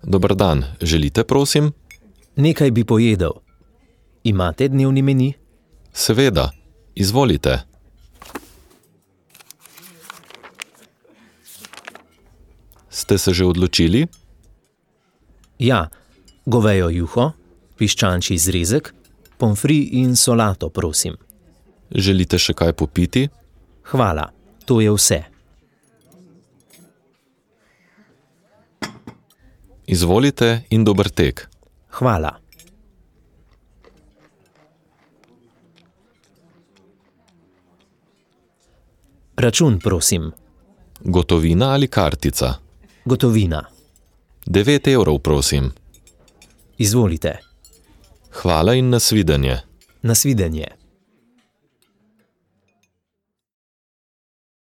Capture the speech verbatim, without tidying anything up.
Dober dan, želite, prosim? Nekaj bi pojedel. Imate dnevni meni? Seveda, izvolite. Ste se že odločili? Ja, govejo juho, piščančji zrezek, pomfri in solato, prosim. Želite še kaj popiti? Hvala, to je vse. Izvolite in dober tek. Hvala. Račun, prosim. Gotovina ali kartica? Gotovina. Devet evrov, prosim. Izvolite. Hvala in nasvidenje. Nasvidenje.